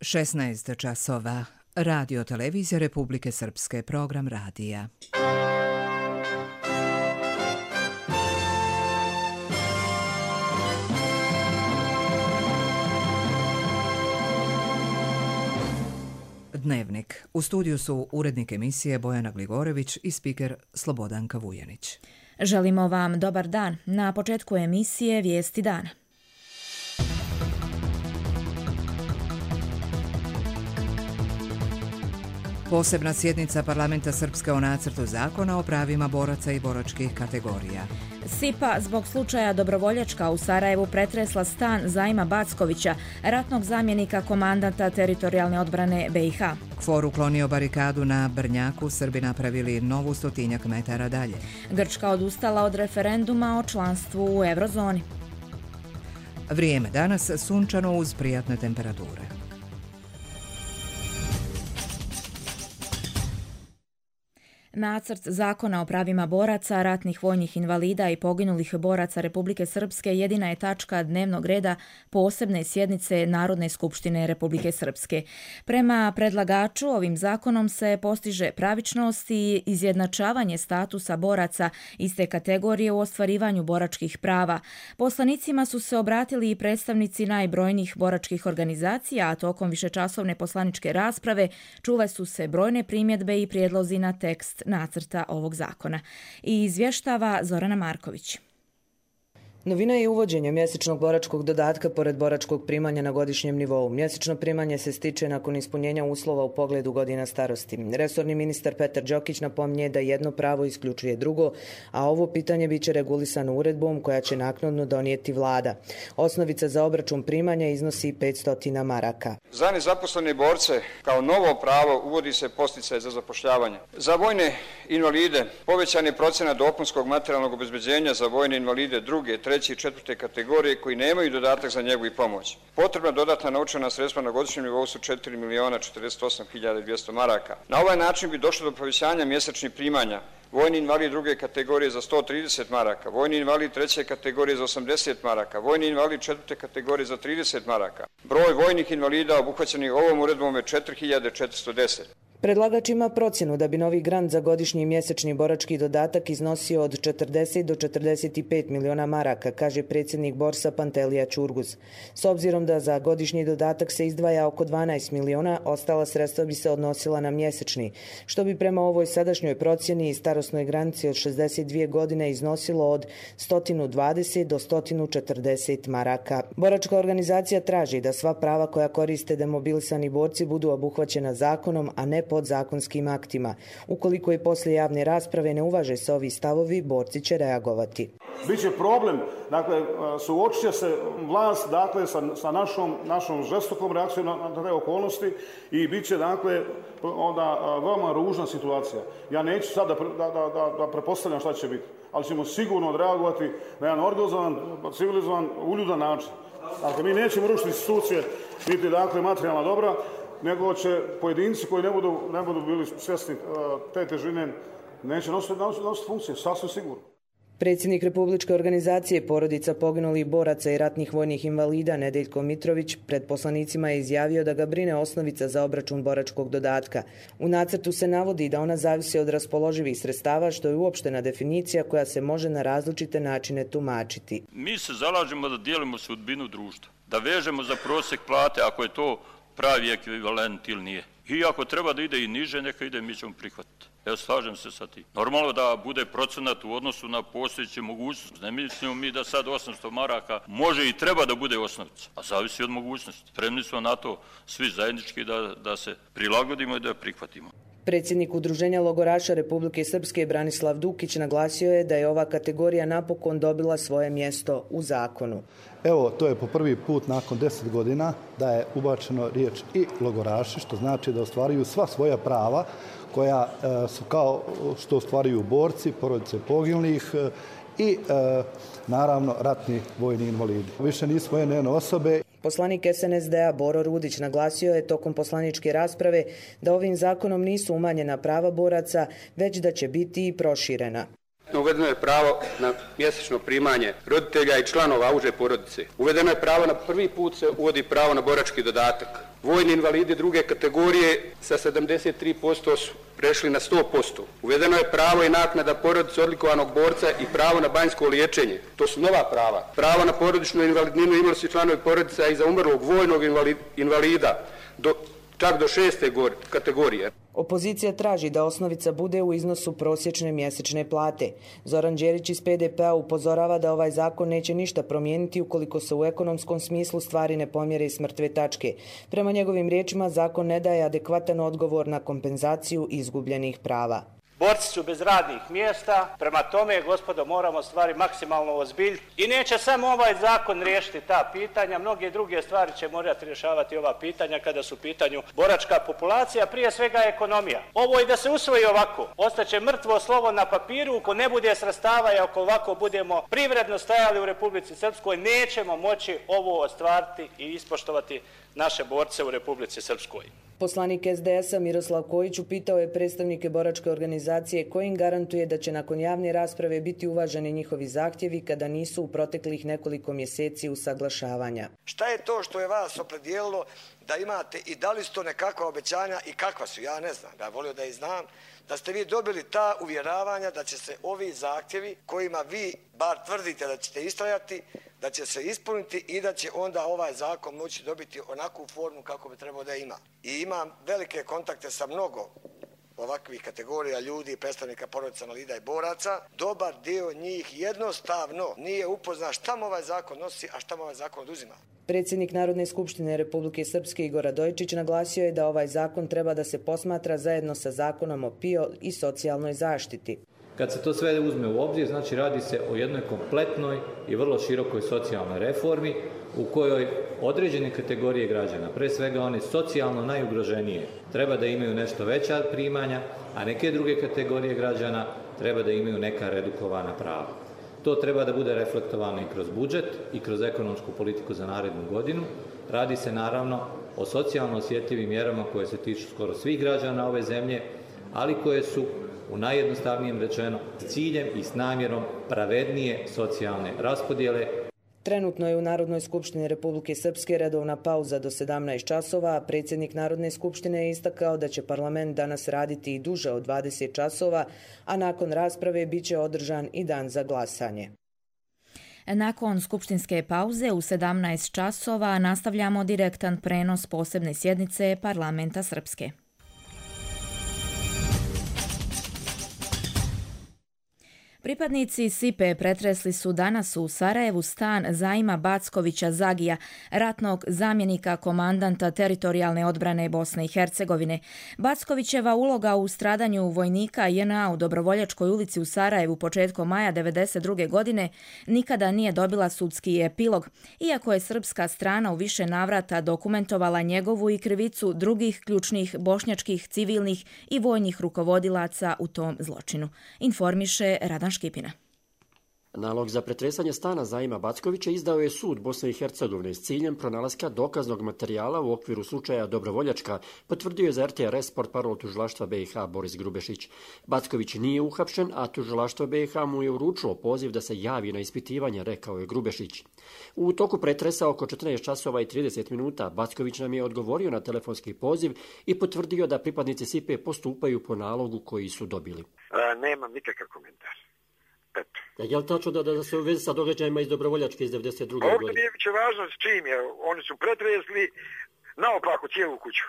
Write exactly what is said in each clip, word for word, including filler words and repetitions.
šesnaest časova. Radio Televizija Republike Srpske, program radija. Dnevnik. U studiju su urednik emisije Bojana Gligorević i spiker Slobodanka Vujanić. Želimo vam dobar dan. Na početku emisije Vijesti dana. Posebna sjednica Parlamenta Srpske o nacrtu zakona o pravima boraca i boračkih kategorija. SIPA zbog slučaja Dobrovoljačka u Sarajevu pretresla stan Zajma Backovića, ratnog zamjenika komandanta teritorijalne odbrane B i H. KFOR uklonio barikadu na Brnjaku, Srbi napravili novu stotinjak metara dalje. Grčka odustala od referenduma o članstvu u eurozoni. Vrijeme danas sunčano uz prijatne temperature. Nacrt zakona o pravima boraca, ratnih vojnih invalida i poginulih boraca Republike Srpske jedina je tačka dnevnog reda posebne sjednice Narodne skupštine Republike Srpske. Prema predlagaču, ovim zakonom se postiže pravičnost i izjednačavanje statusa boraca iste kategorije u ostvarivanju boračkih prava. Poslanicima su se obratili i predstavnici najbrojnijih boračkih organizacija, a tokom višečasovne poslaničke rasprave čule su se brojne primjedbe i prijedlozi na tekst nacrta ovog zakona. I izvještava Zorana Marković. Novina je uvođenje mjesečnog boračkog dodatka pored boračkog primanja na godišnjem nivou. Mjesečno primanje se stiče nakon ispunjenja uslova u pogledu godina starosti. Resorni ministar Petar Đokić napominje da jedno pravo isključuje drugo, a ovo pitanje biće regulisano uredbom koja će naknadno donijeti vlada. Osnovica za obračun primanja iznosi petsto maraka. Za nezaposlene borce kao novo pravo uvodi se podsticaj za zapošljavanje. Za vojne invalide povećan je procenat dopunskog materijalnog obezbeđenja za vojne invalide druge, treće i četvrte kategorije koji nemaju dodatak za njegu i pomoć. Potrebna dodatna novčana sredstva na godišnjem nivou su četiri miliona četrdeset osam hiljada dvjesto maraka. Na ovaj način bi došlo do povećanja mjesečnih primanja. Vojni invalid druge kategorije za sto trideset maraka, vojni invalid treće kategorije za osamdeset maraka, vojni invalid četvrte kategorije za trideset maraka. Broj vojnih invalida obuhvaćenih ovom uredbom je četiri hiljade četiristo deset. Predlagač ima procjenu da bi novi grant za godišnji mjesečni borački dodatak iznosio od četrdeset do četrdeset pet miliona maraka, kaže predsjednik Borsa Pantelija Ćurguz. S obzirom da za godišnji dodatak se izdvaja oko dvanaest miliona, ostala sredstva bi se odnosila na mjesečni, što bi prema ovoj sadašnjoj procjeni i starosnoj granici od šezdeset dvije godine iznosilo od sto dvadeset do sto četrdeset maraka. Boračka organizacija traži da sva prava koja koriste demobilisani borci budu obuhvaćena zakonom, a ne podzakonskim aktima. Ukoliko i poslije javne rasprave ne uvaže se ovi stavovi, borci će reagovati. Biće problem, dakle, suočit će se vlast, dakle, sa, sa našom, našom žestokom reakcijom na, na te okolnosti i bit će, dakle, onda veoma ružna situacija. Ja neću sad da, da, da, da prepostavljam šta će biti, ali ćemo sigurno odreagovati na jedan organizovan, civilizovan, uljudan način. Dakle, mi nećemo rušiti institucije, niti, dakle, materijalna dobra, nego će pojedinci koji ne budu, ne budu bili svjesni te težine, neće nositi, nositi, nositi funkcije, sasvim sigurno. Predsjednik Republičke organizacije porodica poginulih boraca i ratnih vojnih invalida Nedeljko Mitrović pred poslanicima je izjavio da ga brine osnovica za obračun boračkog dodatka. U nacrtu se navodi da ona zavisi od raspoloživih sredstava, što je uopštena definicija koja se može na različite načine tumačiti. Mi se zalažemo da dijelimo sudbinu društva, da vežemo za prosjek plate ako je to pravi ekvivalent ili nije. I ako treba da ide i niže, neka ide, mi ćemo prihvatiti. Evo, slažem se sa tim. Normalno da bude procenat u odnosu na postojeće mogućnosti. Ne mislimo mi da sad osamsto maraka može i treba da bude osnovica, a zavisi od mogućnosti. Spremni smo na to svi zajednički da, da se prilagodimo i da prihvatimo. Predsjednik Udruženja logoraša Republike Srpske Branislav Dukić naglasio je da je ova kategorija napokon dobila svoje mjesto u zakonu. Evo, to je po prvi put nakon deset godina da je ubačeno riječ i logoraši, što znači da ostvaruju sva svoja prava koja e, su kao što ostvaruju borci, porodice poginulih e, i e, naravno ratni vojni invalidi. Više nismo jedne osobe. Poslanik S N S D-a Boro Rudić naglasio je tokom poslaničke rasprave da ovim zakonom nisu umanjena prava boraca, već da će biti i proširena. Uvedeno je pravo na mjesečno primanje roditelja i članova uže porodice. Uvedeno je pravo na prvi put se uvodi pravo na borački dodatak. Vojni invalidi druge kategorije sa sedamdeset tri posto su prešli na sto posto. Uvedeno je pravo i naknada porodice odlikovanog borca i pravo na banjsko liječenje. To su nova prava. Pravo na porodičnu invalidninu imali su članovi porodica i za umrlog vojnog invalida do, čak do šeste kategorije. Opozicija traži da osnovica bude u iznosu prosječne mjesečne plate. Zoran Đerić iz P D P-a upozorava da ovaj zakon neće ništa promijeniti ukoliko se u ekonomskom smislu stvari ne pomjere s mrtve tačke. Prema njegovim riječima, zakon ne daje adekvatan odgovor na kompenzaciju izgubljenih prava. Borci su bez radnih mjesta, prema tome, gospodo, moramo stvari maksimalno ozbiljiti. I neće samo ovaj zakon riješiti ta pitanja, mnoge druge stvari će morati rješavati ova pitanja kada su u pitanju boračka populacija, prije svega ekonomija. Ovo i da se usvoji ovako, ostaće mrtvo slovo na papiru, ako ne bude sredstava i ako ovako budemo privredno stajali u Republici Srpskoj, nećemo moći ovo ostvariti i ispoštovati naše borce u Republici Srpskoj. Poslanik S D S-a Miroslav Kojić upitao je predstavnike boračke organizacije koji im garantuje da će nakon javne rasprave biti uvaženi njihovi zahtjevi kada nisu u proteklih nekoliko mjeseci usaglašavanja. Šta je to što je vas opredijelilo da imate i da li su to nekakva obećanja i kakva su? Ja ne znam, da volio da i znam, da ste vi dobili ta uvjeravanja da će se ovi zahtjevi kojima vi bar tvrdite da ćete istrajati, da će se ispuniti i da će onda ovaj zakon moći dobiti onakvu formu kako bi trebao da ima. I imam velike kontakte sa mnogo ovakvih kategorija ljudi, predstavnika porodica invalida i boraca. Dobar dio njih jednostavno nije upoznan šta mu ovaj zakon nosi, a šta mu ovaj zakon oduzima. Predsjednik Narodne skupštine Republike Srpske Igor Radojičić naglasio je da ovaj zakon treba da se posmatra zajedno sa zakonom o P I O i socijalnoj zaštiti. Kad se to sve uzme u obzir, znači radi se o jednoj kompletnoj i vrlo širokoj socijalnoj reformi u kojoj određene kategorije građana, pre svega one socijalno najugroženije, treba da imaju nešto veća primanja, a neke druge kategorije građana treba da imaju neka redukovana prava. To treba da bude reflektovano i kroz budžet i kroz ekonomsku politiku za narednu godinu. Radi se naravno o socijalno osjetljivim mjerama koje se tiču skoro svih građana ove zemlje, ali koje su u najjednostavnijem rečeno s ciljem i s namjerom pravednije socijalne raspodjele. Trenutno je u Narodnoj skupštini Republike Srpske redovna pauza do sedamnaest časova, a predsjednik Narodne skupštine je istakao da će parlament danas raditi i duže od dvadeset časova, a nakon rasprave biće održan i dan za glasanje. Nakon skupštinske pauze u sedamnaest časova nastavljamo direktan prenos posebne sjednice Parlamenta Srpske. Pripadnici S I P E pretresli su danas u Sarajevu stan Zaima Backovića Zagija, ratnog zamjenika komandanta teritorijalne odbrane Bosne i Hercegovine. Backovićeva uloga u stradanju vojnika J N A u Dobrovoljačkoj ulici u Sarajevu početkom maja devedeset druge godine nikada nije dobila sudski epilog, iako je srpska strana u više navrata dokumentovala njegovu i krivicu drugih ključnih bošnjačkih, civilnih i vojnih rukovodilaca u tom zločinu. Informiše Radan Škipina. Nalog za pretresanje stana Zaima Backovića izdao je sud Bosne i Hercegovine s ciljem pronalaska dokaznog materijala u okviru slučaja Dobrovoljačka, potvrdio je za R T R S portparol tužilaštva B i H Boris Grubešić. Backović nije uhapšen, a tužilaštvo B i H mu je uručilo poziv da se javi na ispitivanje, rekao je Grubešić. U toku pretresa oko četrnaest časova i trideset minuta Backović nam je odgovorio na telefonski poziv i potvrdio da pripadnici S I P E postupaju po nalogu koji su dobili. A, nemam nikakav komentar. Eto. Ja, je li tačno da, da se u vezi sa događajima iz Dobrovoljačke iz devedeset druge godine? Ovdje nije biće važno s čim je. Oni su pretresli naopako cijelu kuću.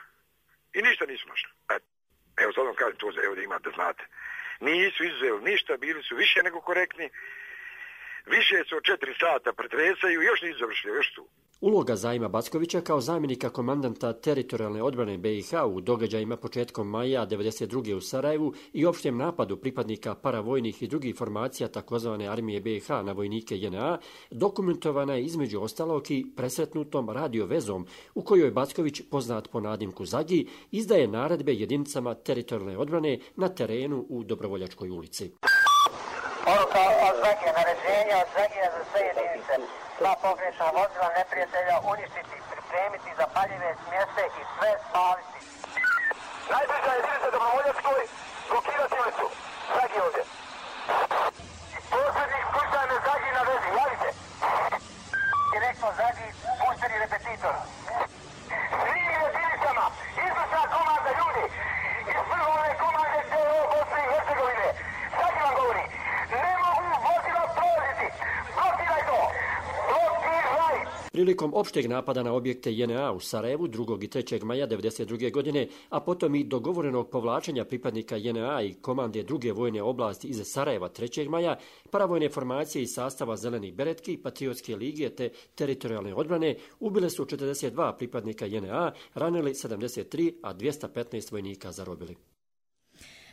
I ništa nisu našli. Eto. Evo sad vam kažem to, evo da imate, znate. Nisu izuzeli ništa, bili su više nego korektni. Više su od četiri sata pretresaju i još nisu završili, još tu. Uloga Zaima Backovića kao zamjenika komandanta teritorijalne odbrane B i H u događajima početkom maja devedeset druge u Sarajevu i opštem napadu pripadnika paravojnih i drugih formacija takozvane armije B i H na vojnike J N A dokumentovana je između ostalog i presretnutom radio vezom u kojoj Backović, poznat po nadimku Zagi, izdaje naredbe jedinicama teritorijalne odbrane na terenu u Dobrovoljačkoj ulici. Poruka od Zagije, naređenja od Zagije za sve jedinice. Sva pogrešna vozila neprijatelja uništiti, pripremiti zapaljive smjese i sve spaliti. Najbliža jedinica Dobrovoljačkoj, blokirati ulicu. Zagije ovdje. Prilikom opšteg napada na objekte J N A u Sarajevu drugog i trećeg maja devedeset druge godine, a potom i dogovorenog povlačenja pripadnika J N A i komande druge vojne oblasti iz Sarajeva trećeg maja, paravojne formacije iz sastava Zelenih beretki, Patriotske lige te teritorijalne odbrane ubile su četrdeset dva pripadnika J N A, ranili sedamdeset tri, a dvjesto petnaest vojnika zarobili.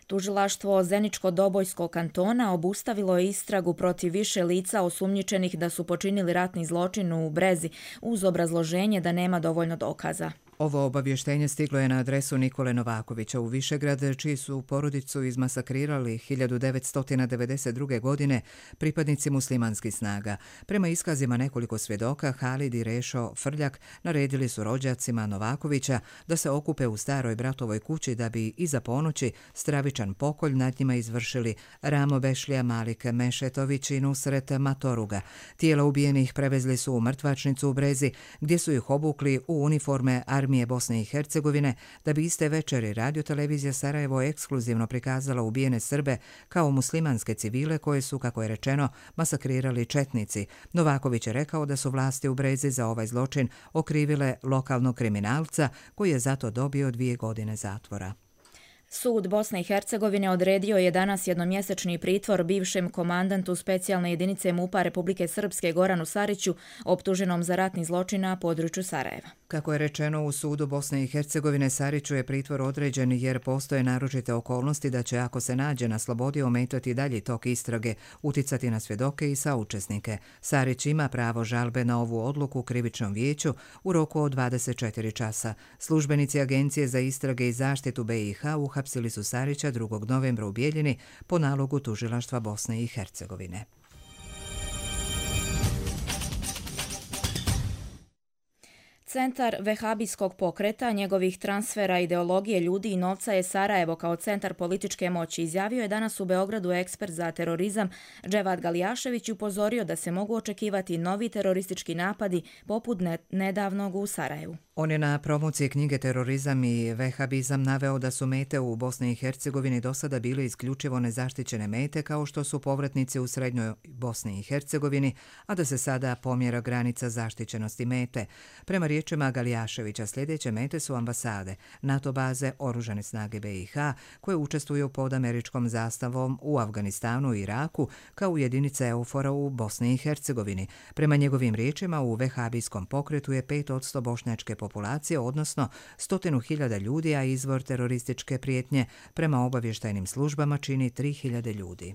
Tužilaštvo Zeničko-Dobojskog kantona obustavilo je istragu protiv više lica osumnjičenih da su počinili ratni zločin u Brezi uz obrazloženje da nema dovoljno dokaza. Ovo obavještenje stiglo je na adresu Nikole Novakovića u Višegrad, čiji su porodicu izmasakrirali hiljadu devetsto devedeset druge. godine pripadnici muslimanskih snaga. Prema iskazima nekoliko svjedoka, Halid i Rešo Frljak naredili su rođacima Novakovića da se okupe u staroj bratovoj kući da bi iza ponoći stravičan pokolj nad njima izvršili Ramo Bešlija, Malik Mešetović i Nusret Matoruga. Tijela ubijenih prevezli su u mrtvačnicu u Brezi, gdje su ih obukli u uniforme armije Bosne i Hercegovine, da bi iste večeri radiotelevizija Sarajevo ekskluzivno prikazala ubijene Srbe kao muslimanske civile koje su, kako je rečeno, masakrirali četnici. Novaković je rekao da su vlasti u Brezi za ovaj zločin okrivile lokalnog kriminalca koji je zato dobio dvije godine zatvora. Sud Bosne i Hercegovine odredio je danas jednomjesečni pritvor bivšem komandantu specijalne jedinice MUP-a Republike Srpske Goranu Sariću, optuženom za ratni zločin na području Sarajeva. Kako je rečeno u sudu Bosne i Hercegovine, Sariću je pritvor određen jer postoje naročite okolnosti da će, ako se nađe na slobodi, ometati dalji tok istrage, uticati na svjedoke i saučesnike. Sarić ima pravo žalbe na ovu odluku u krivičnom vijeću u roku od dvadeset četiri časa. Službenici Agencije za istrage i zaštitu B i H uhapsili su Sarića drugog novembra u Bijeljini po nalogu tužilaštva Bosne i Hercegovine. Centar vehabijskog pokreta, njegovih transfera, ideologije ljudi i novca je Sarajevo kao centar političke moći, izjavio je danas u Beogradu ekspert za terorizam Dževad Galijašević i upozorio da se mogu očekivati novi teroristički napadi poput nedavnog u Sarajevu. On je na promociji knjige Terorizam i vehabizam naveo da su mete u Bosni i Hercegovini do sada bile isključivo nezaštićene mete kao što su povratnici u srednjoj Bosni i Hercegovini, a da se sada pomjera granica zaštićenosti mete. Prema riječima Galijaševića, sljedeće mete su ambasade, NATO baze, oružane snage B i H koje učestvuju pod američkom zastavom u Afganistanu i Iraku kao jedinice EUFOR-a u Bosni i Hercegovini. Prema njegovim riječima, u vehabijskom pokretu je pet posto bošnjačke populacije, odnosno stotinu hiljada ljudi, a izvor terorističke prijetnje prema obavještajnim službama čini tri hiljade ljudi.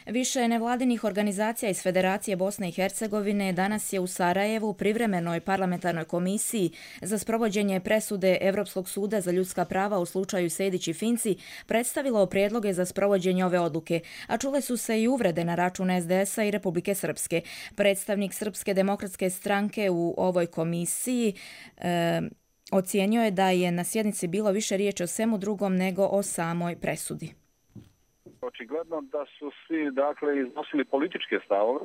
Više nevladinih organizacija iz Federacije Bosne i Hercegovine danas je u Sarajevu privremenoj parlamentarnoj komisiji za sprovođenje presude Evropskog suda za ljudska prava u slučaju Sejdić i Finci predstavilo prijedloge za sprovođenje ove odluke, a čule su se i uvrede na račun S D S-a i Republike Srpske. Predstavnik Srpske demokratske stranke u ovoj komisiji e, ocijenio je da je na sjednici bilo više riječi o svemu drugom nego o samoj presudi. Očigledno da su svi dakle iznosili političke stavove,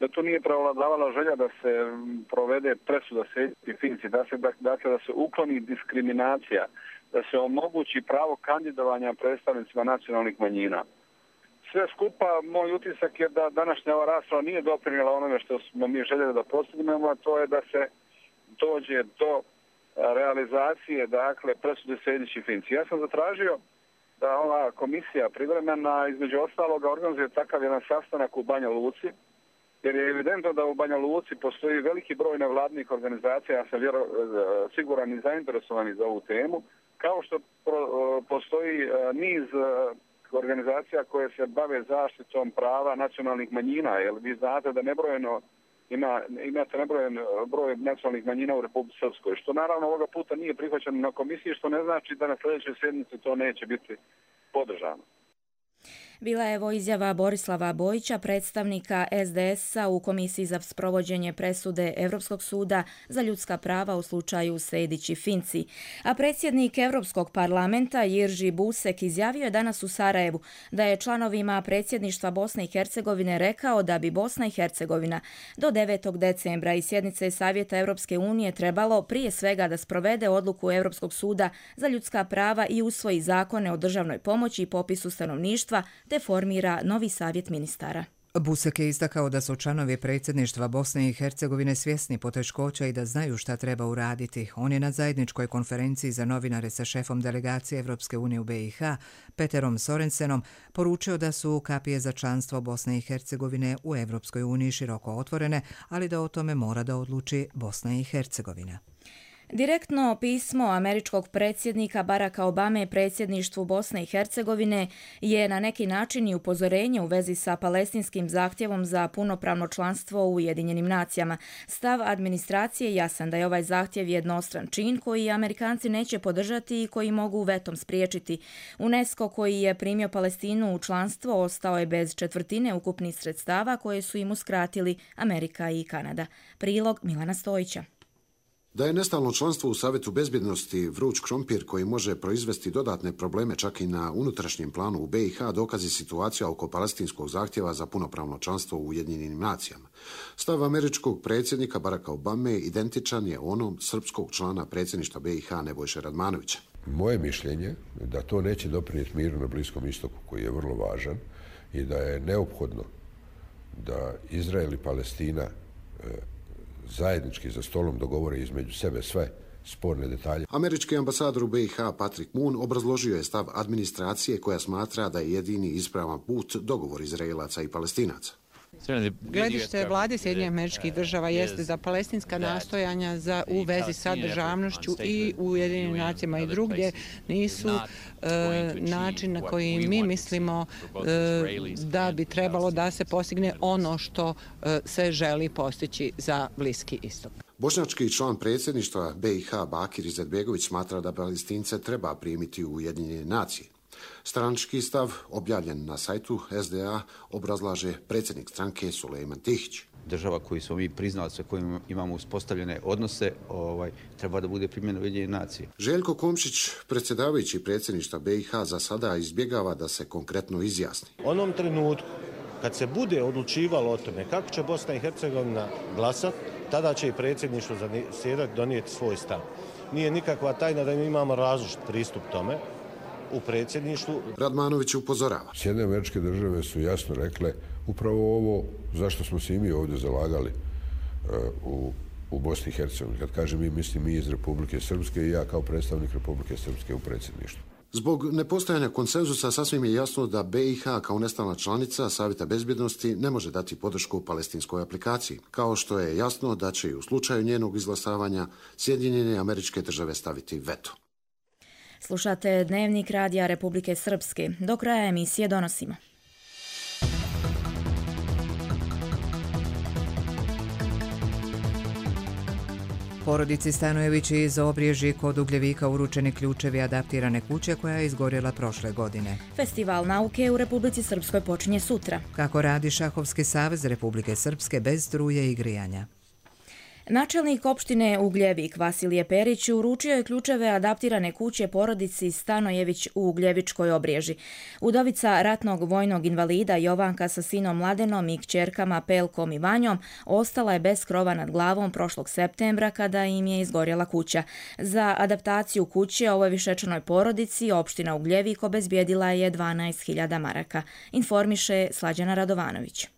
da to nije prevladavala želja da se provede presuda Sejdić i Finci, da se dakle da se ukloni diskriminacija, da se omogući pravo kandidovanja predstavnicima nacionalnih manjina. Sve skupa, moj utisak je da današnja ova rasprava nije doprinijela onome što smo mi željeli da postignemo, a to je da se dođe do realizacije dakle presude Sejdić i Finci. Ja sam zatražio da ova komisija privremena između ostaloga organizuje takav jedan sastanak u Banja Luci, jer je evidentno da u Banja Luci postoji veliki broj nevladnih organizacija, ja sam vjero, siguran i zainteresovani za ovu temu, kao što pro, postoji niz organizacija koje se bave zaštitom prava nacionalnih manjina, jer vi znate da nebrojeno Ima, imate nebrojen broj nacionalnih manjina u Republici Srpskoj, što naravno ovoga puta nije prihvaćeno na komisiji, što ne znači da na sljedećoj sjednici to neće biti podržano. Bila je evo izjava Borislava Bojića, predstavnika S D S-a u Komisiji za sprovođenje presude Evropskog suda za ljudska prava u slučaju Sejdić i Finci. A predsjednik Europskog parlamenta Jirži Busek izjavio je danas u Sarajevu da je članovima predsjedništva Bosne i Hercegovine rekao da bi Bosna i Hercegovina do devetog decembra i sjednice Savjeta Europske unije trebalo prije svega da sprovede odluku Europskog suda za ljudska prava i usvoji zakone o državnoj pomoći i popisu stanovništva te formira novi savjet ministara. Busek je istakao da su članovi predsjedništva Bosne i Hercegovine svjesni poteškoća i da znaju šta treba uraditi. On je na zajedničkoj konferenciji za novinare sa šefom delegacije Evropske unije u B i H, Peterom Sorensenom, poručio da su kapije za članstvo Bosne i Hercegovine u Evropskoj uniji široko otvorene, ali da o tome mora da odluči Bosna i Hercegovina. Direktno pismo američkog predsjednika Baracka Obame predsjedništvu Bosne i Hercegovine je na neki način i upozorenje u vezi sa palestinskim zahtjevom za punopravno članstvo u Ujedinjenim nacijama. Stav administracije je jasan da je ovaj zahtjev jednostran čin koji Amerikanci neće podržati i koji mogu vetom spriječiti. UNESCO koji je primio Palestinu u članstvo ostao je bez četvrtine ukupnih sredstava koje su im uskratili Amerika i Kanada. Prilog Milana Stojića. Da je nestalno članstvo u Savjetu bezbjednosti vruć krompir koji može proizvesti dodatne probleme čak i na unutrašnjem planu u B i H dokazi situacija oko palestinskog zahtjeva za punopravno članstvo u Ujedinjenim nacijama. Stav američkog predsjednika Baracka Obame identičan je onom srpskog člana predsjedništva B i H Nebojše Radmanovića. Moje mišljenje je da to neće doprinijeti miru na Bliskom istoku koji je vrlo važan i da je neophodno da Izrael i Palestina zajednički za stolom dogovore između sebe sve sporne detalje. Američki ambasador u B i H Patrick Moon obrazložio je stav administracije koja smatra da je jedini ispravan put dogovor Izraelaca i Palestinaca. Gledište vlade Sjedinjenih Američkih Država jeste da palestinska nastojanja za u vezi sa državnošću i u Ujedinjenim nacijama i drugdje nisu e, način na koji mi mislimo e, da bi trebalo da se postigne ono što e, se želi postići za Bliski istok. Bošnjački član predsjedništva B i H Bakir Izetbegović smatra da Palestince treba primiti u Ujedinjene nacije. Stranački stav, objavljen na sajtu S D A, obrazlaže predsjednik stranke Sulejman Tihić. Država koju smo mi priznali, sa kojim imamo uspostavljene odnose, ovaj, treba da bude primljena Ujedinjene nacije. Željko Komšić, predsjedavajući predsjedništva B i H, za sada izbjegava da se konkretno izjasni. U onom trenutku, kad se bude odlučivalo o tome kako će Bosna i Hercegovina glasati, tada će i predsjedništvo zasjedati donijeti svoj stav. Nije nikakva tajna da mi imamo različit pristup tome u predsjedništvu. Radmanović upozorava. Sjedinjene Američke Države su jasno rekle upravo ovo zašto smo se i mi ovdje zalagali uh, u, u Bosni i Hercegovini. Kad kažem mi, mislim mi iz Republike Srpske i ja kao predstavnik Republike Srpske u predsjedništvu. Zbog nepostojanja konsenzusa sasvim je jasno da B i H kao nestalna članica Savjeta bezbjednosti ne može dati podršku palestinskoj aplikaciji, kao što je jasno da će i u slučaju njenog izglasavanja Sjedinjene Američke Države staviti veto. Slušate Dnevnik Radija Republike Srpske. Do kraja emisije donosimo. Porodici Stanojević iz Obriježi kod Ugljevika uručeni ključevi adaptirane kuće koja je izgorjela prošle godine. Festival nauke u Republici Srpskoj počinje sutra. Kako radi Šahovski savez Republike Srpske bez struje i grijanja? Načelnik opštine Ugljevik Vasilije Perić uručio je ključeve adaptirane kuće porodici Stanojević u Ugljevičkoj Obriježi. Udovica ratnog vojnog invalida Jovanka sa sinom Mladenom i kćerkama Pelkom i Vanjom ostala je bez krova nad glavom prošlog septembra kada im je izgorjela kuća. Za adaptaciju kuće ovoj višečanoj porodici opština Ugljevik obezbijedila je dvanaest hiljada maraka, informiše Slađana Radovanović.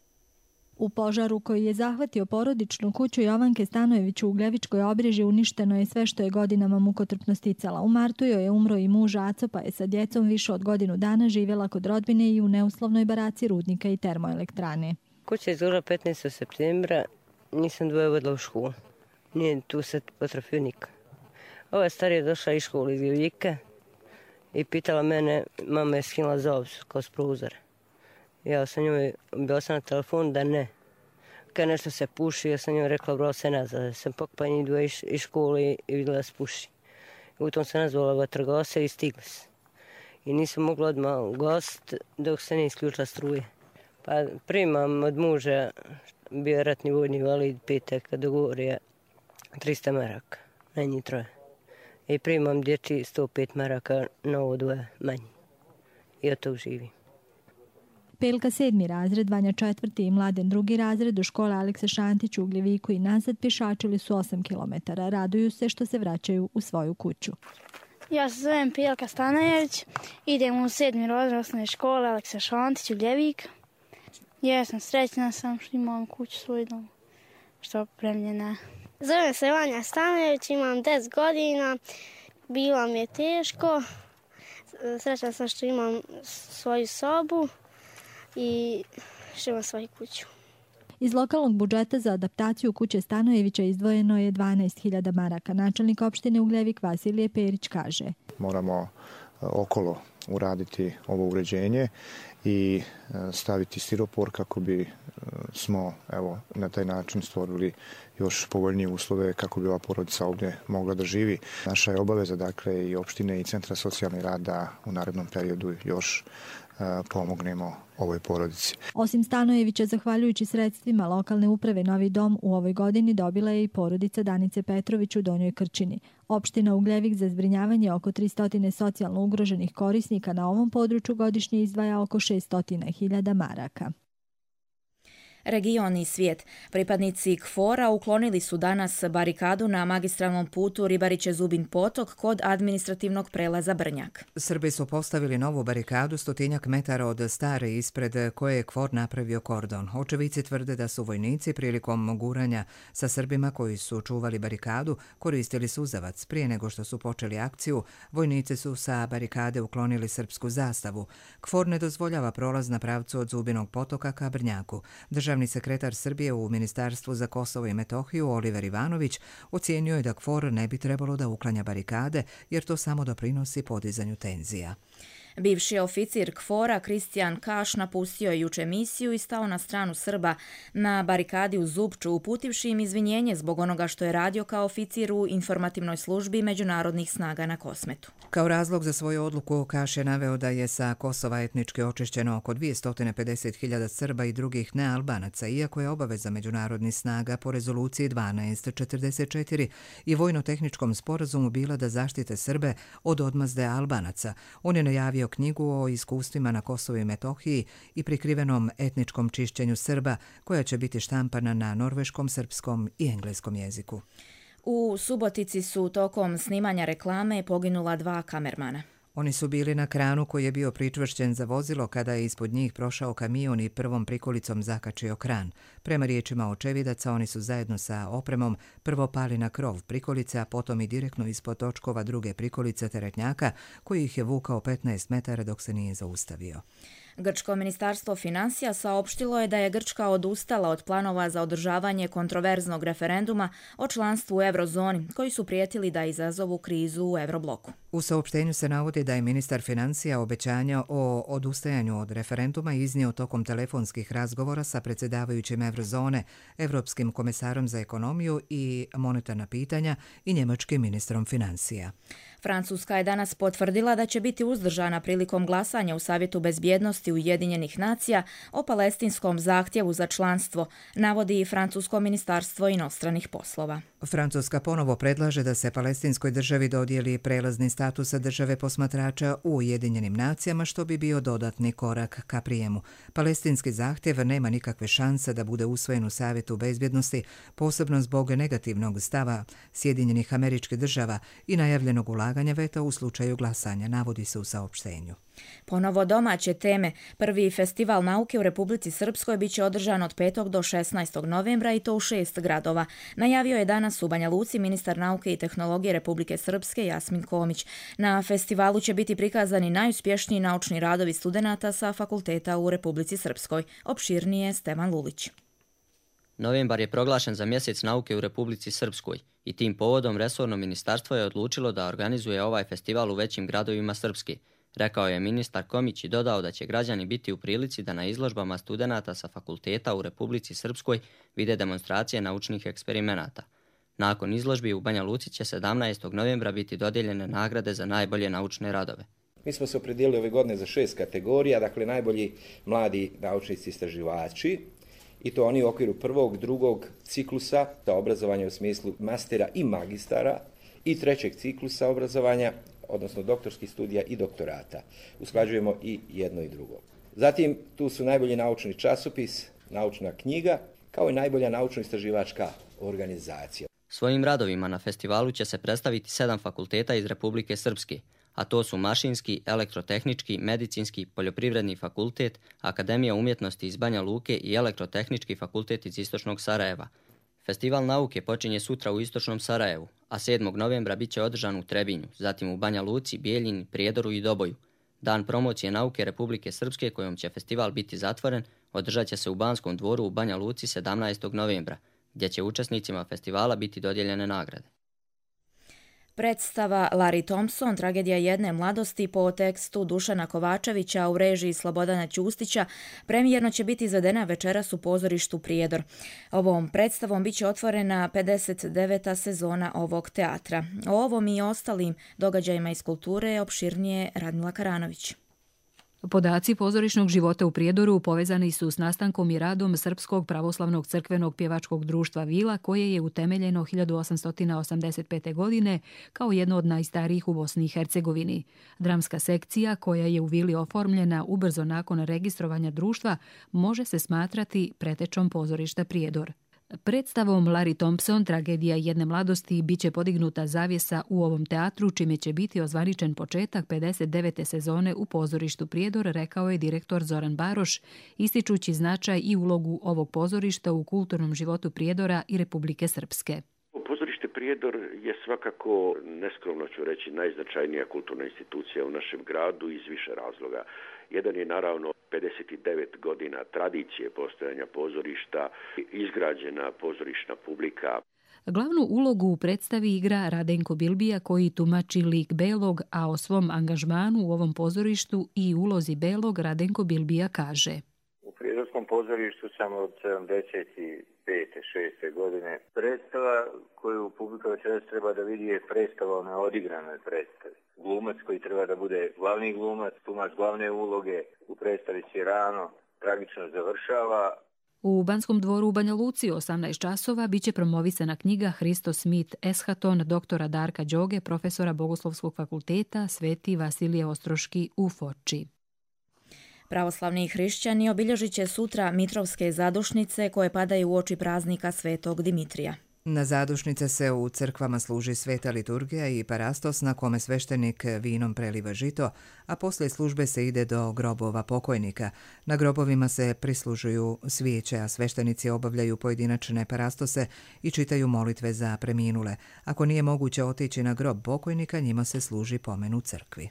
U požaru koji je zahvatio porodičnu kuću Jovanke Stanojević u Ugljevičkoj Obriježi uništeno je sve što je godinama mukotrpno sticala. U martu joj je umro i muž Aco, pa je sa djecom više od godinu dana živjela kod rodbine i u neuslovnoj baraci rudnika i termoelektrane. Kuća je izgorjela petnaestog septembra, nisam dvoje vodila u školu. Nije tu sad potrafio nikad. Ova starija je došla iz škole iz Gljevika i pitala mene, mama je skinula zov kroz prozor. Ja sam njoj bila sam na telefon da ne. Kad nešto se puši, ja sam njoj rekla vrlo se nazad. Sam pokupala njih dvoje iz škole i vidjela da se puši. U tom se nazvala vatrogasca i stigla se. I nisam mogla odmah gost dok se ne isključila struje. Pa primam od muža, bio je ratni vojni invalid, petak dogovorio trista maraka, na njih troje. I primam dječji sto pet maraka na ovo dvoje manji. I od tog živim. Pelka sedmi razred, Vanja četvrti i Mladen drugi razred u škole Aleksa Šantić u Ugljeviku i nazad pješačili su osam kilometara. Raduju se što se vraćaju u svoju kuću. Ja se zovem Pelka Stanojević, idem u sedmi razred osnovne škole Aleksa Šantić u Ugljeviku. Jesam, srećna sam što imam kuću svoj dom, što je opremljena. Zovem se Vanja Stanojević, imam deset godina, bilo mi je teško, srećna sam što imam svoju sobu i što imam svoju kuću. Iz lokalnog budžeta za adaptaciju kuće Stanojevića izdvojeno je dvanaest hiljada maraka. Načelnik opštine Ugljevik Vasilije Perić kaže: Moramo okolo uraditi ovo uređenje i staviti stiropor kako bi smo evo, na taj način stvorili još povoljnije uslove kako bi ova porodica ovdje mogla da živi. Naša je obaveza, dakle, i opštine i centra socijalni rad da u narednom periodu još pomognemo ovoj porodici. Osim Stanojevića, zahvaljujući sredstvima lokalne uprave, novi dom u ovoj godini dobila je i porodica Danice Petrović u Donjoj Krčini. Opština Ugljevik za zbrinjavanje oko tristo socijalno ugroženih korisnika na ovom području godišnje izdvaja oko šessto hiljada maraka. Region i svijet. Pripadnici K F O R-a uklonili su danas barikadu na magistralnom putu Ribariće-Zubin potok kod administrativnog prelaza Brnjak. Srbi su postavili novu barikadu stotinjak metara od stare ispred koje je K F O R napravio kordon. Očevici tvrde da su vojnici prilikom guranja sa Srbima koji su čuvali barikadu koristili suzavac. Prije nego što su počeli akciju, vojnici su sa barikade uklonili srpsku zastavu. K F O R ne dozvoljava prolaz na pravcu od Zubinog potoka ka Brnjaku. Državni sekretar Srbije u Ministarstvu za Kosovo i Metohiju Oliver Ivanović ocijenio je da K F O R ne bi trebalo da uklanja barikade jer to samo doprinosi podizanju tenzija. Bivši oficir K F O R-a Kristijan Kaš napustio je juče misiju i stao na stranu Srba na barikadi u Zupču, uputivši im izvinjenje zbog onoga što je radio kao oficir u informativnoj službi međunarodnih snaga na Kosmetu. Kao razlog za svoju odluku Kaš je naveo da je sa Kosova etnički očišćeno oko dvjesto pedeset hiljada Srba i drugih nealbanaca, iako je obaveza međunarodnih snaga po rezoluciji dvanaest četrdeset četiri i vojno-tehničkom sporazumu bila da zaštite Srbe od odmazde Albanaca. On je najavio knjigu o iskustvima na Kosovu i Metohiji i prikrivenom etničkom čišćenju Srba, koja će biti štampana na norveškom, srpskom i engleskom jeziku. U Subotici su tokom snimanja reklame poginula dva kamermana. Oni su bili na kranu koji je bio pričvršćen za vozilo kada je ispod njih prošao kamion i prvom prikolicom zakačio kran. Prema riječima očevidaca, oni su zajedno sa opremom prvo pali na krov prikolice, a potom i direktno ispod točkova druge prikolice teretnjaka koji ih je vukao petnaest metara dok se nije zaustavio. Grčko ministarstvo financija saopštilo je da je Grčka odustala od planova za održavanje kontroverznog referenduma o članstvu u eurozoni, koji su prijetili da izazovu krizu u eurobloku. U saopštenju se navodi da je ministar financija obećanja o odustajanju od referenduma iznio tokom telefonskih razgovora sa predsjedavajućim eurozone, Evropskim komesarom za ekonomiju i monetarna pitanja i njemačkim ministrom financija. Francuska je danas potvrdila da će biti uzdržana prilikom glasanja u Savjetu bezbjednosti Ujedinjenih nacija o palestinskom zahtjevu za članstvo, navodi i Francusko ministarstvo inostranih poslova. Francuska ponovo predlaže da se palestinskoj državi dodijeli prelazni status države posmatrača u Ujedinjenim nacijama, što bi bio dodatni korak ka prijemu. Palestinski zahtjev nema nikakve šanse da bude usvojen u Savjetu bezbjednosti, posebno zbog negativnog stava Sjedinjenih Američkih Država i najavljenog ulaganja veta u slučaju glasanja, navodi se u saopštenju. Ponovo domaće teme. Prvi festival nauke u Republici Srpskoj biće održan od petog do šesnaestog novembra i to u šest gradova. Najavio je danas u Banja Luci ministar nauke i tehnologije Republike Srpske Jasmin Komić. Na festivalu će biti prikazani najuspješniji naučni radovi studenata sa fakulteta u Republici Srpskoj. Opširnije Stevan Lulić. Novembar je proglašen za mjesec nauke u Republici Srpskoj i tim povodom resorno ministarstvo je odlučilo da organizuje ovaj festival u većim gradovima Srpske. Rekao je ministar Komić i dodao da će građani biti u prilici da na izložbama studenata sa fakulteta u Republici Srpskoj vide demonstracije naučnih eksperimenata. Nakon izložbi u Banja Luci će sedamnaestog novembra biti dodijeljene nagrade za najbolje naučne radove. Mi smo se opredijelili ove godine za šest kategorija, dakle najbolji mladi naučnici istraživači, i to oni u okviru prvog, drugog ciklusa za obrazovanje u smislu mastera i magistara i trećeg ciklusa obrazovanja, odnosno doktorskih studija i doktorata. Usklađujemo i jedno i drugo. Zatim tu su najbolji naučni časopis, naučna knjiga, kao i najbolja naučno-istraživačka organizacija. Svojim radovima na festivalu će se predstaviti sedam fakulteta iz Republike Srpske, a to su Mašinski, Elektrotehnički, Medicinski, Poljoprivredni fakultet, Akademija umjetnosti iz Banja Luke i Elektrotehnički fakultet iz Istočnog Sarajeva. Festival nauke počinje sutra u Istočnom Sarajevu, a sedmog novembra bit će održan u Trebinju, zatim u Banja Luci, Bijeljini, Prijedoru i Doboju. Dan promocije nauke Republike Srpske, kojom će festival biti zatvoren, održat će se u Banskom dvoru u Banja Luci sedamnaestog novembra, gdje će učesnicima festivala biti dodijeljene nagrade. Predstava Larry Thompson, tragedija jedne mladosti po tekstu Dušana Kovačevića u režiji Slobodana Ćustića, premijerno će biti izvedena večeras u pozorištu Prijedor. Ovom predstavom bit će otvorena pedeset deveta sezona ovog teatra. O ovom i ostalim događajima iz kulture opširnije Radmila Karanović. Podaci pozorišnog života u Prijedoru povezani su s nastankom i radom Srpskog pravoslavnog crkvenog pjevačkog društva Vila, koje je utemeljeno hiljadu osamsto osamdeset pete. godine kao jedno od najstarijih u Bosni i Hercegovini. Dramska sekcija, koja je u Vili oformljena ubrzo nakon registrovanja društva, može se smatrati pretečom pozorišta Prijedor. Predstavom Larry Thompson, tragedija jedne mladosti, bit će podignuta zavjesa u ovom teatru, čime će biti ozvaničen početak pedeset devete sezone u pozorištu Prijedor, rekao je direktor Zoran Baroš, ističući značaj i ulogu ovog pozorišta u kulturnom životu Prijedora i Republike Srpske. Pozorište Prijedor je svakako, neskromno ću reći, najznačajnija kulturna institucija u našem gradu iz više razloga. Jedan je naravno pedeset devet godina tradicije postojanja pozorišta, izgrađena pozorišna publika. Glavnu ulogu u predstavi igra Radenko Bilbija, koji tumači lik Belog, a o svom angažmanu u ovom pozorištu i ulozi Belog Radenko Bilbija kaže: U Prijedorskom pozorištu sam od sedamdeset pete šeste godine. Predstava koju publika večeras treba da vidi je predstava o neodigranoj predstavi. Glumac koji treba da bude glavni glumac, tumač glavne uloge u predstavi Sirano, tragično završava. U Banskom dvoru u Banja Luci osamnaest časova biće promovisana knjiga Hristo Smith Eshaton doktora Darka Đoge, profesora Bogoslovskog fakulteta Sveti Vasilije Ostroški u Foči. Pravoslavni hrišćani obilježit će sutra Mitrovske zadušnice koje padaju u oči praznika Svetog Dimitrija. Na zadušnice se u crkvama služi sveta liturgija i parastos na kome sveštenik vinom preliva žito, a poslije službe se ide do grobova pokojnika. Na grobovima se prislužuju svijeće, a sveštenici obavljaju pojedinačne parastose i čitaju molitve za preminule. Ako nije moguće otići na grob pokojnika, njima se služi pomen u crkvi.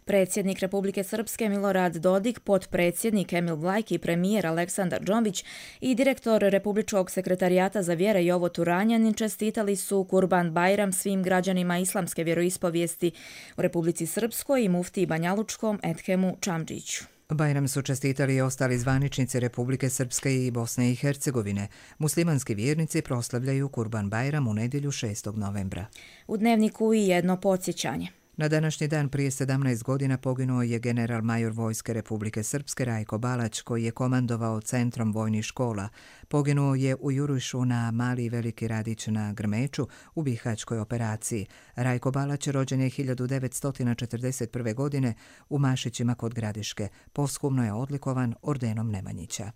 Predsjednik Republike Srpske Milorad Dodik, potpredsjednik Emil Vlajki, premijer Aleksandar Džombić i direktor Republičkog sekretarijata za vjere Jovo Turanjanin čestitali su Kurban Bajram svim građanima islamske vjeroispovijesti u Republici Srpskoj i muftiji Banjalučkom Edhemu Čamdžiću. Bajram su čestitali i ostali zvaničnici Republike Srpske i Bosne i Hercegovine. Muslimanski vjernici proslavljaju Kurban Bajram u nedjelju šestog novembra. U dnevniku i jedno podsjećanje. Na današnji dan prije sedamnaest godina poginuo je general major vojske Republike Srpske Rajko Balać, koji je komandovao centrom vojnih škola. Poginuo je u jurišu na Mali i Veliki Radić na Grmeču u Bihaćkoj operaciji. Rajko Balać rođen je hiljadu devetsto četrdeset prve. godine u Mašićima kod Gradiške. Posthumno je odlikovan ordenom Nemanjića.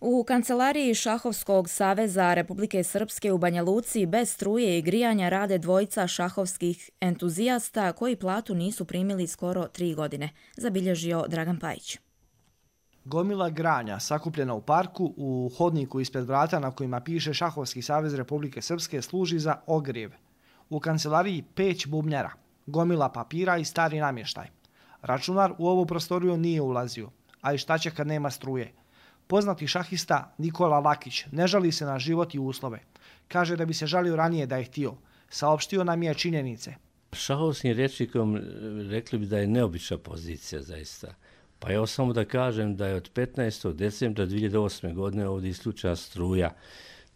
U kancelariji Šahovskog saveza Republike Srpske u Banja Luci bez struje i grijanja rade dvojica šahovskih entuzijasta koji platu nisu primili skoro tri godine, zabilježio Dragan Pajić. Gomila granja sakupljena u parku u hodniku ispred vrata na kojima piše Šahovski savez Republike Srpske služi za ogrijev. U kancelariji peć bubnjara, gomila papira i stari namještaj. Računar u ovu prostoriju nije ulazio, a i šta će kad nema struje. Poznati šahista Nikola Lakić ne žali se na život i uslove. Kaže da bi se žalio ranije da je htio. Saopštio nam je činjenice. Šahovskim rječnikom rekli bi da je neobična pozicija zaista. Pa evo samo da kažem da je od petnaestog decembra dvije hiljade osme. godine ovdje isključena struja,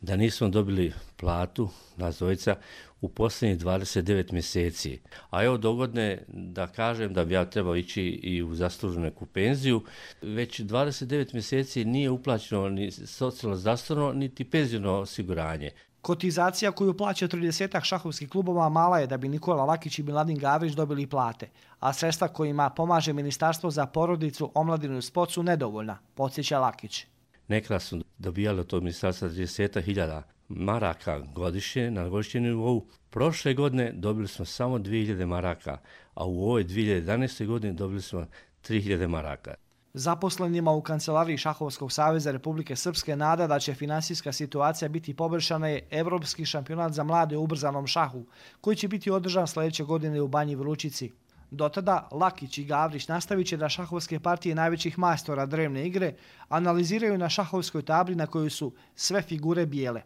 da nismo dobili platu, nas dvojica, u posljednjih dvadeset devet mjeseci. A evo dogodne da kažem da bi ja trebao ići i u zasluženu neku penziju. Već dvadeset devet mjeseci nije uplaćeno ni socijalno zdravstveno, niti penzijno osiguranje. Kotizacija koju plaća tridesetak šahovskih klubova mala je da bi Nikola Lakić i Miladin Gavrić dobili plate, a sredstva kojima pomaže Ministarstvo za porodicu, omladinu i sport su nedovoljna, podsjeća Lakić. nekada su dobijali od tog ministarstva trideset hiljada maraka godišnje, na godišnjem nivou. Prošle godine dobili smo samo dvije hiljade maraka, a u ovoj dvije hiljade jedanaeste. godine dobili smo tri hiljade maraka. Zaposlenima u kancelariji Šahovskog saveza Republike Srpske nada da će finansijska situacija biti poboljšana je Evropski šampionat za mlade u ubrzanom šahu, koji će biti održan sljedeće godine u Banji Vručici. Do tada Lakić i Gavrić nastavit će da šahovske partije najvećih majstora drevne igre analiziraju na šahovskoj tabli na kojoj su sve figure bijele,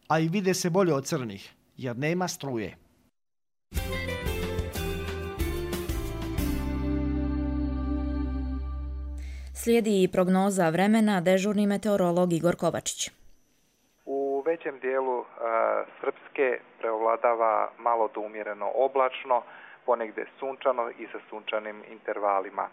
a i vide se bolje od crnih, jer nema struje. Slijedi i prognoza vremena, dežurni meteorolog Igor Kovačić. U većem dijelu uh, Srpske preovladava malo do umjereno oblačno, ponegde sunčano i sa sunčanim intervalima.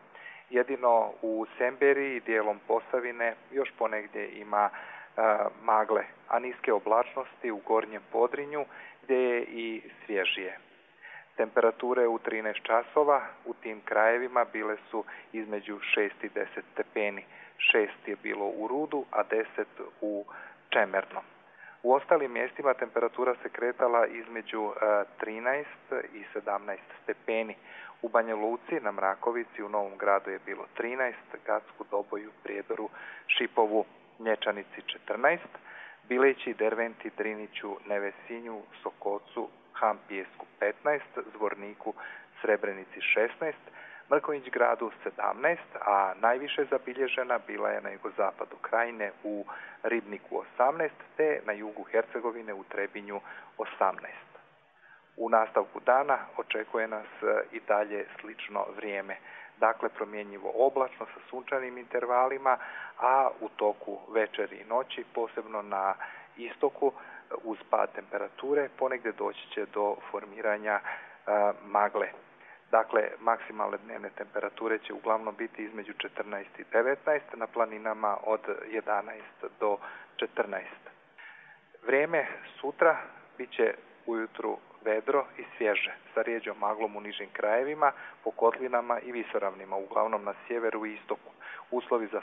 Jedino u Semberiji i dijelom Posavine još ponegdje ima uh, magle, a niske oblačnosti u Gornjem Podrinju gdje je i svježije. Temperature u trinaest časova u tim krajevima bile su između šest i deset stepeni. šest je bilo u Rudu, a deset u Čemernom. U ostalim mjestima temperatura se kretala između trinaest i sedamnaest stepeni. U Banja Luci, na Mrakovici, u Novom Gradu je bilo trinaest, Gacku, Doboju, Prijedoru, Šipovu, Nječanici četrnaest, Bileći, Derventi, Driniću, Nevesinju, Sokocu, Hampijesku petnaest, Zvorniku, Srebrenici šesnaest, Mrkonjić Gradu sedamnaest, a najviše zabilježena bila je na jugozapadu Krajine u Ribniku osamnaest, te na jugu Hercegovine u Trebinju osamnaest. U nastavku dana očekuje nas i dalje slično vrijeme. Dakle, promjenjivo oblačno sa sunčanim intervalima, a u toku večeri i noći, posebno na istoku, uz pad temperature, ponegdje doći će do formiranja a, magle. Dakle, maksimalne dnevne temperature će uglavnom biti između četrnaest i devetnaest, na planinama od jedanaest do četrnaest. Vrijeme sutra bit će ujutru vedro i svježe, sa rijeđom maglom u nižim krajevima, po kotlinama i visoravnima, uglavnom na sjeveru i istoku. Uslovi za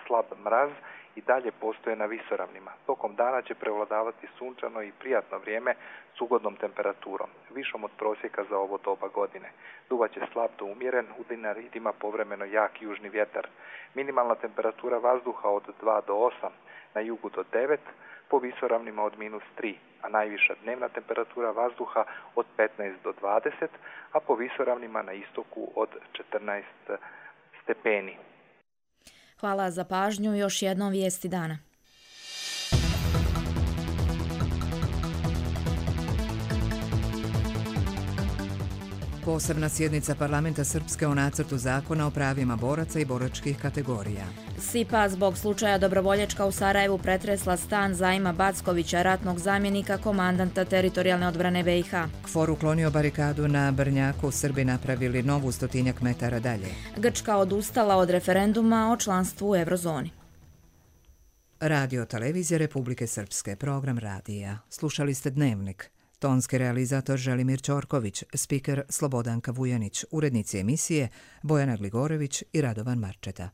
slab mraz i dalje postoje na visoravnima. Tokom dana će prevladavati sunčano i prijatno vrijeme s ugodnom temperaturom, višom od prosjeka za ovo doba godine. Duvaće slab do umjeren, u Dinaridima povremeno jak južni vjetar. Minimalna temperatura vazduha od dva do osam, na jugu do devet, po visoravnima od minus tri, a najviša dnevna temperatura vazduha od petnaest do dvadeset, a po visoravnima na istoku od četrnaest stepeni. Hvala za pažnju, još jednom vijesti dana. Posebna sjednica parlamenta Srpske o nacrtu zakona o pravima boraca i boračkih kategorija. S I P A zbog slučaja Dobrovoljačka u Sarajevu pretresla stan Zaima Backovića, ratnog zamjenika komandanta teritorijalne odbrane B i H. KFOR uklonio barikadu na Brnjaku, Srbi napravili novu stotinjak metara dalje. Grčka odustala od referenduma o članstvu u Eurozoni. Radio televizija Republike Srpske, program radija. Slušali ste Dnevnik. Tonski realizator Želimir Ćorković, spiker Slobodanka Vujanić, urednici emisije Bojana Gligorević i Radovan Marčeta.